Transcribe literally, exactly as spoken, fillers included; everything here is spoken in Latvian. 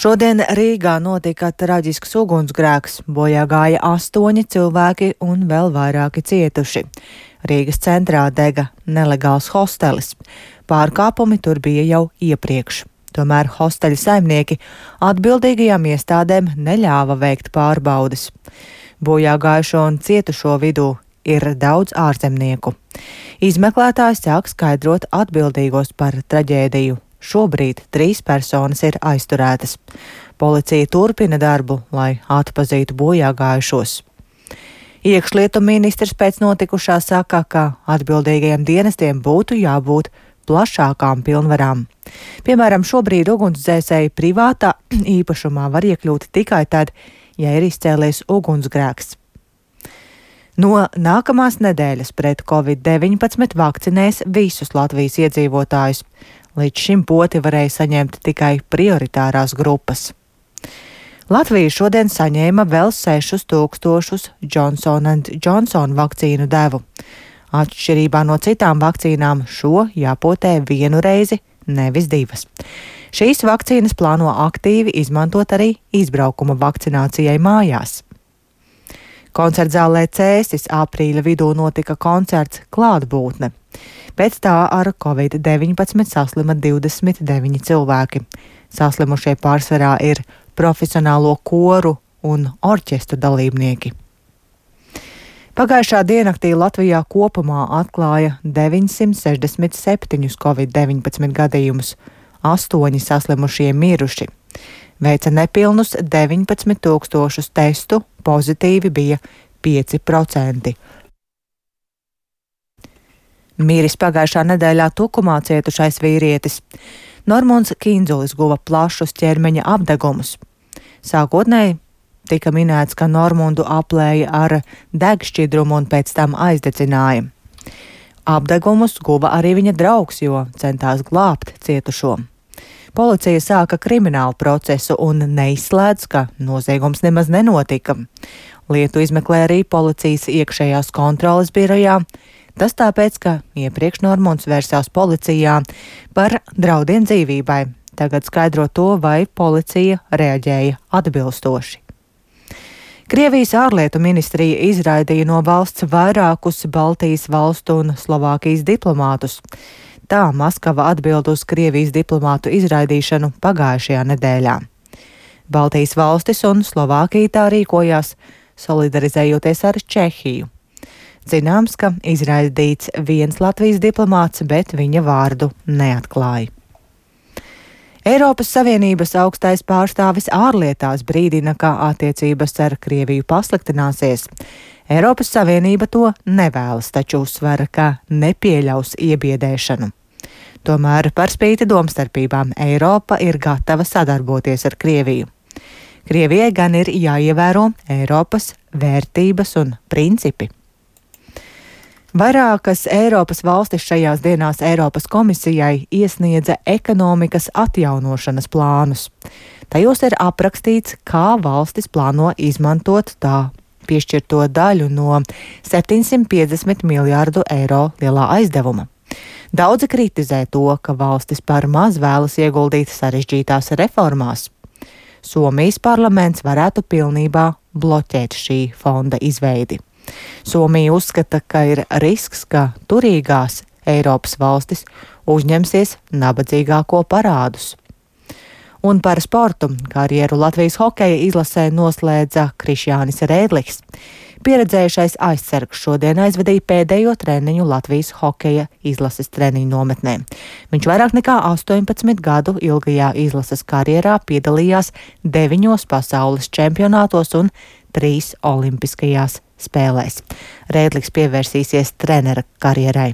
Šodien Rīgā notika traģisks ugunsgrēks, bojā gāja astoņi cilvēki un vēl vairāki cietuši. Rīgas centrā dega nelegāls hostelis. Pārkāpumi tur bija jau iepriekš. Tomēr hosteļa saimnieki atbildīgajām iestādēm neļāva veikt pārbaudes. Bojā gājušo un cietušo vidū ir daudz ārzemnieku. Izmeklētājs sāk skaidrot atbildīgos par traģēdiju. Šobrīd trīs personas ir aizturētas. Policija turpina darbu, lai atpazītu bojā gājušos. Iekšlietu ministrs pēc notikušā saka, ka atbildīgajiem dienestiem būtu jābūt plašākām pilnvarām. Piemēram, šobrīd ugunsdzēsēji privātā īpašumā var iekļūt tikai tad, ja ir izcēlies ugunsgrēks. No nākamās nedēļas pret covid deviņpadsmit vakcinēs visus Latvijas iedzīvotājus. Līdz šim poti varēja saņemt tikai prioritārās grupas. Latvija šodien saņēma vēl sešus tūkstošus Johnson and Johnson vakcīnu devu. Atšķirībā no citām vakcīnām šo jāpotē vienu reizi, nevis divas. Šīs vakcīnas plāno aktīvi izmantot arī izbraukuma vakcinācijai mājās. Koncertzālē Cēsis aprīļa vidū notika koncerts Klātbūtne. Pēc tā ar covid deviņpadsmit saslima divdesmit deviņi cilvēki. Saslimušie pārsvarā ir profesionālo koru un orķestru dalībnieki. Pagājušā diennaktī Latvijā kopumā atklāja deviņsimt sešdesmit septiņus covid deviņpadsmit gadījumus, astoņi saslimušie miruši. Veica nepilnus deviņpadsmit tūkstošus testu, pozitīvi bija pieci procenti. Miris pagājušā nedēļā Tukumā cietušais vīrietis. Normunds Kinzulis guva plašus ķermeņa apdegumus. Sākotnēji tika minēts, ka Normundu aplēja ar degšķidrumu un pēc tam aizdedzināja. Apdegumus guva arī viņa draugs, jo centās glābt cietušo. Policija sāka kriminālu procesu un neizslēdz, ka noziegums nemaz nenotika. Lietu izmeklē arī policijas iekšējās kontroles birojā. Tas tāpēc, ka iepriekš Normunds vērsās policijā par draudiem dzīvībai. Tagad skaidro to, vai policija reaģēja atbilstoši. Krievijas ārlietu ministrija izraidīja no valsts vairākus Baltijas valstu un Slovākijas diplomātus. Tā Maskava atbild uz Krievijas diplomātu izraidīšanu pagājušajā nedēļā. Baltijas valstis un Slovākija tā rīkojās, solidarizējoties ar Čehiju. Zināms, ka izraidīts viens Latvijas diplomāts, bet viņa vārdu neatklāja. Eiropas Savienības augstais pārstāvis ārlietās brīdina, ka attiecības ar Krieviju pasliktināsies. Eiropas Savienība to nevēlas, taču uzsver, ka nepieļaus iebiedēšanu. Tomēr par spīti domstarpībām Eiropa ir gatava sadarboties ar Krieviju. Krievijai gan ir jāievēro Eiropas vērtības un principi. Vairākas Eiropas valstis šajās dienās Eiropas komisijai iesniedza ekonomikas atjaunošanas plānus. Tajos ir aprakstīts, kā valstis plāno izmantot tā piešķirto daļu no septiņsimt piecdesmit miljārdu eiro lielā aizdevuma. Daudzi kritizē to, ka valstis par maz vēlas ieguldīt sarežģītās reformās. Somijas parlaments varētu pilnībā bloķēt šī fonda izveidi. Somija uzskata, ka ir risks, ka turīgās Eiropas valstis uzņemsies nabadzīgāko parādus. Un par sportu karjeru Latvijas hokeja izlasē noslēdza Krišjānis Rēdliks. Pieredzējušais aizsargs šodien aizvedīja pēdējo treniņu Latvijas hokeja izlases treniņu nometnē. Viņš vairāk nekā astoņpadsmit gadu ilgajā izlases karjerā piedalījās deviņos pasaules čempionātos un trīs olimpiskajās spēlēs. Rēdliks pievērsīsies trenera karjerai.